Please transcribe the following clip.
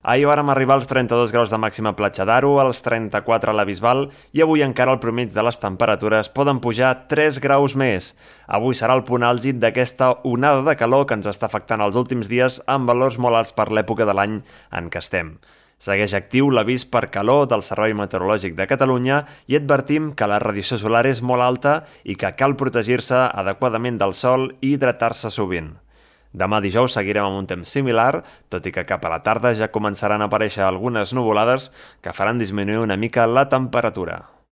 Ahir vàrem arribar als 32 graus de màxima a Platja d'Aro, als 34 a la Bisbal i avui encara el promig de les temperatures poden pujar 3 graus més. Avui serà el punt àlgid d'aquesta onada de calor que ens està afectant els últims dies amb valors molt alts per l'època de l'any en què estem. Segueix actiu l'avís per calor del Servei Meteorològic de Catalunya i advertim que la radiació solar és molt alta i que cal protegir-se adequadament del sol i hidratar-se sovint. Demà dijous seguirem amb un temps similar, tot i que cap a la tarda ja començaran a aparèixer algunes nuvolades que faran disminuir una mica la temperatura.